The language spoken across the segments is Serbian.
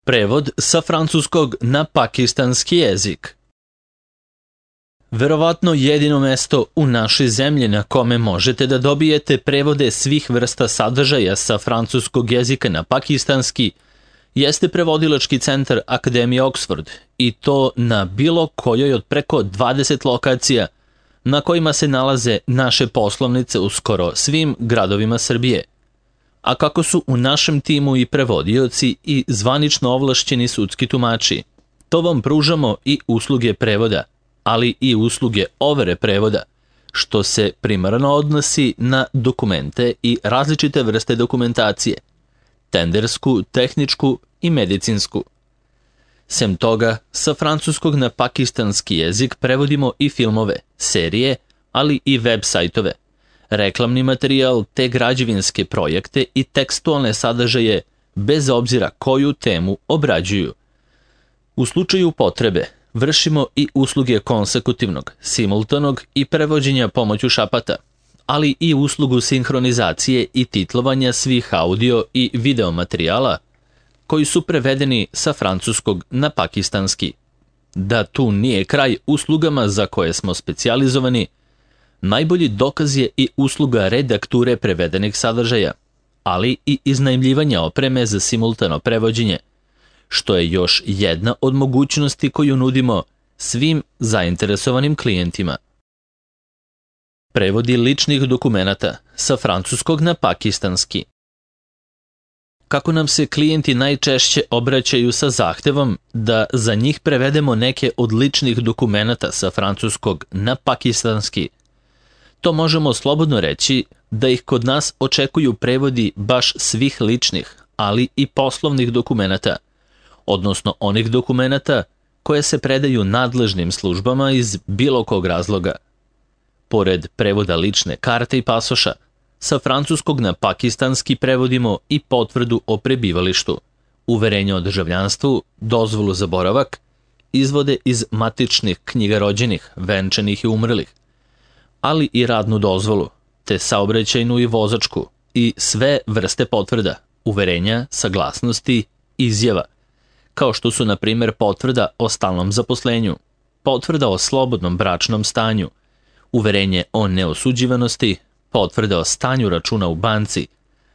Prevod sa francuskog na pakistanski jezik. Verovatno jedino mesto u našoj zemlji na kome možete da dobijete prevode svih vrsta sadržaja sa francuskog jezika na pakistanski jeste prevodilački centar Akademije Oxford, i to na bilo kojoj od preko 20 lokacija na kojima se nalaze naše poslovnice u skoro svim gradovima Srbije. A kako su u našem timu i prevodioci i zvanično ovlašćeni sudski tumači, to vam pružamo i usluge prevoda, ali i usluge overe prevoda, što se primarno odnosi na dokumente i različite vrste dokumentacije, tendersku, tehničku i medicinsku. Sem toga, sa francuskog na pakistanski jezik prevodimo i filmove, serije, ali i web sajtove, reklamni materijal te građevinske projekte i tekstualne sadržaje bez obzira koju temu obrađuju. U slučaju potrebe vršimo i usluge konsekutivnog, simultanog i prevođenja pomoću šapata, ali i uslugu sinhronizacije i titlovanja svih audio i video materijala koji su prevedeni sa francuskog na pakistanski. Da tu nije kraj uslugama za koje smo specijalizovani, najbolji dokaz je i usluga redakture prevedenih sadržaja, ali i iznajmljivanja opreme za simultano prevođenje, što je još jedna od mogućnosti koju nudimo svim zainteresovanim klijentima. Prevodi ličnih dokumenata sa francuskog na pakistanski. Kako nam se klijenti najčešće obraćaju sa zahtevom da za njih prevedemo neke od ličnih dokumenata sa francuskog na pakistanski, to možemo slobodno reći da ih kod nas očekuju prevodi baš svih ličnih, ali i poslovnih dokumenata, odnosno onih dokumenata koje se predaju nadležnim službama iz bilo kog razloga. Pored prevoda lične karte i pasoša, sa francuskog na pakistanski prevodimo i potvrdu o prebivalištu, uverenje o državljanstvu, dozvolu za boravak, izvode iz matičnih knjiga rođenih, venčanih i umrlih, ali i radnu dozvolu, te saobraćajnu i vozačku i sve vrste potvrda, uverenja, saglasnosti, izjava, kao što su na primjer potvrda o stalnom zaposlenju, potvrda o slobodnom bračnom stanju, uverenje o neosuđivanosti, potvrda o stanju računa u banci,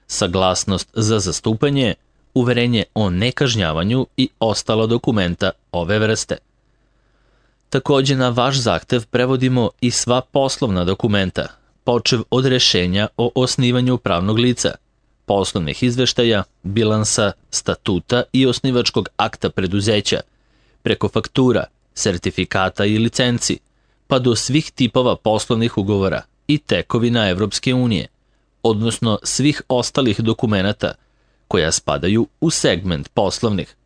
saglasnost za zastupanje, uverenje o nekažnjavanju i ostala dokumenta ove vrste. Takođe na vaš zahtev prevodimo i sva poslovna dokumenta, počev od rešenja o osnivanju pravnog lica, poslovnih izveštaja, bilansa, statuta i osnivačkog akta preduzeća, preko faktura, sertifikata i licenci, pa do svih tipova poslovnih ugovora i tekovina Evropske unije, odnosno svih ostalih dokumenata koja spadaju u segment poslovnih.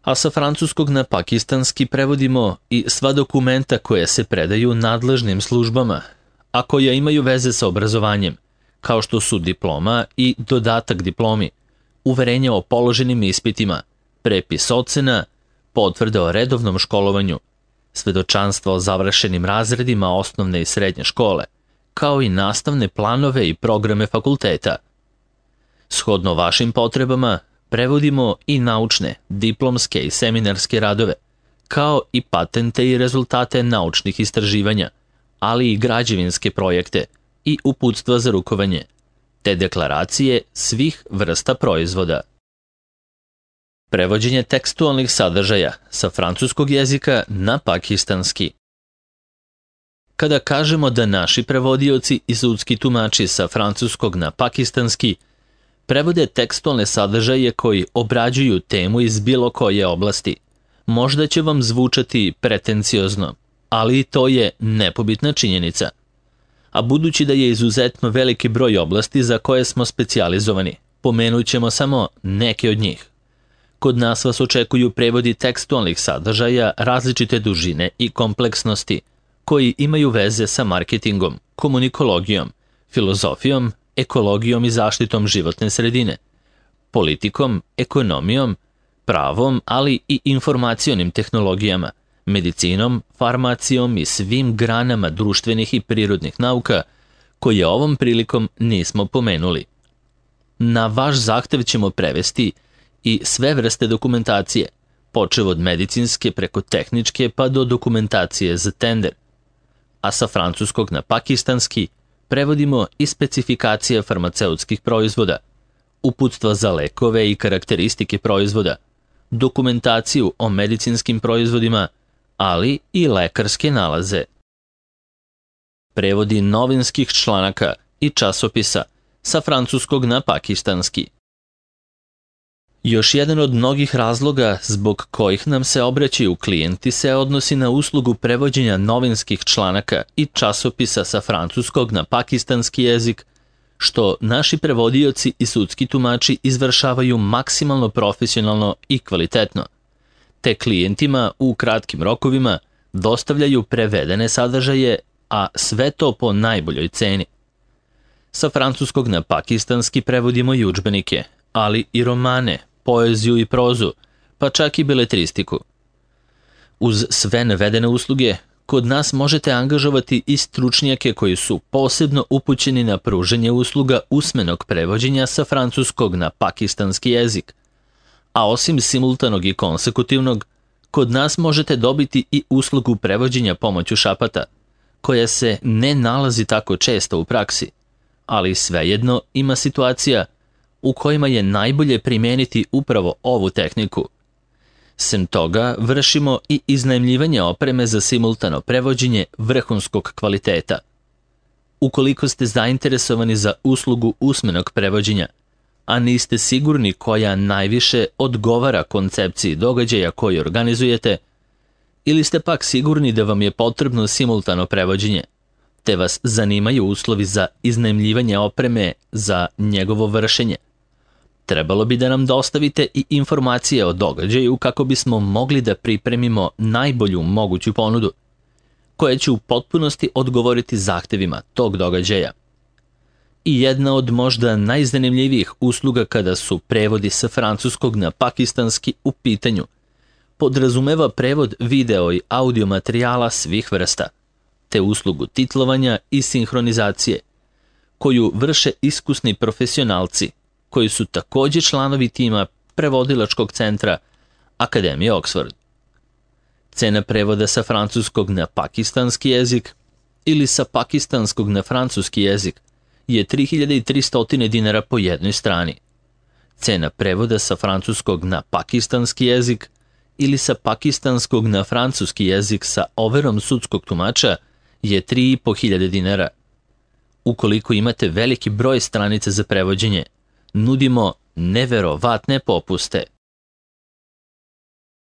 A sa francuskog na pakistanski prevodimo i sva dokumenta koja se predaju nadležnim službama, a koja imaju veze sa obrazovanjem, kao što su diploma i dodatak diplomi, uverenje o položenim ispitima, prepis ocena, potvrde o redovnom školovanju, svedočanstva o završenim razredima osnovne i srednje škole, kao i nastavne planove i programe fakulteta. Shodno vašim potrebama, prevodimo i naučne, diplomske i seminarske radove, kao i patente i rezultate naučnih istraživanja, ali i građevinske projekte i uputstva za rukovanje, te deklaracije svih vrsta proizvoda. Prevođenje tekstualnih sadržaja sa francuskog jezika na pakistanski. Kada kažemo da naši prevodioci i sudski tumači sa francuskog na pakistanski prevode tekstualne sadržaje koji obrađuju temu iz bilo koje oblasti, možda će vam zvučati pretenciozno, ali to je nepobitna činjenica. A budući da je izuzetno veliki broj oblasti za koje smo specijalizovani, pomenut ćemo samo neke od njih. Kod nas vas očekuju prevodi tekstualnih sadržaja različite dužine i kompleksnosti, koji imaju veze sa marketingom, komunikologijom, filozofijom, ekologijom i zaštitom životne sredine, politikom, ekonomijom, pravom, ali i informacionim tehnologijama, medicinom, farmacijom i svim granama društvenih i prirodnih nauka, koje ovom prilikom nismo pomenuli. Na vaš zahtev ćemo prevesti i sve vrste dokumentacije, počev od medicinske preko tehničke pa do dokumentacije za tender. A sa francuskog na pakistanski prevodimo i specifikacije farmaceutskih proizvoda, uputstva za lekove i karakteristike proizvoda, dokumentaciju o medicinskim proizvodima, ali i lekarske nalaze. Prevodi novinskih članaka i časopisa sa francuskog na pakistanski. Još jedan od mnogih razloga zbog kojih nam se obraćaju klijenti se odnosi na uslugu prevođenja novinskih članaka i časopisa sa francuskog na pakistanski jezik, što naši prevodioci i sudski tumači izvršavaju maksimalno profesionalno i kvalitetno, te klijentima u kratkim rokovima dostavljaju prevedene sadržaje, a sve to po najboljoj ceni. Sa francuskog na pakistanski prevodimo i udžbenike, ali i romane, poeziju i prozu, pa čak i beletristiku. Uz sve navedene usluge, kod nas možete angažovati i stručnjake koji su posebno upućeni na pružanje usluga usmenog prevođenja sa francuskog na pakistanski jezik. A osim simultanog i konsekutivnog, kod nas možete dobiti i uslugu prevođenja pomoću šapata, koja se ne nalazi tako često u praksi, ali svejedno ima situacija u kojima je najbolje primijeniti upravo ovu tehniku. Sem toga, vršimo i iznajmljivanje opreme za simultano prevođenje vrhunskog kvaliteta. Ukoliko ste zainteresovani za uslugu usmenog prevođenja, a niste sigurni koja najviše odgovara koncepciji događaja koji organizujete, ili ste pak sigurni da vam je potrebno simultano prevođenje, te vas zanimaju uslovi za iznajmljivanje opreme za njegovo vršenje, trebalo bi da nam dostavite i informacije o događaju kako bismo mogli da pripremimo najbolju moguću ponudu, koja će u potpunosti odgovoriti zahtevima tog događaja. I jedna od možda najzanimljivijih usluga kada su prevodi sa francuskog na pakistanski u pitanju, podrazumeva prevod video i audio materijala svih vrsta, te uslugu titlovanja i sinhronizacije, koju vrše iskusni profesionalci, koji su također članovi tima prevodilačkog centra Akademije Oxford. Cena prevoda sa francuskog na pakistanski jezik ili sa pakistanskog na francuski jezik je 3300 dinara po jednoj strani. Cena prevoda sa francuskog na pakistanski jezik ili sa pakistanskog na francuski jezik sa overom sudskog tumača je 3500 dinara. Ukoliko imate veliki broj stranica za prevođenje, nudimo neverovatne popuste.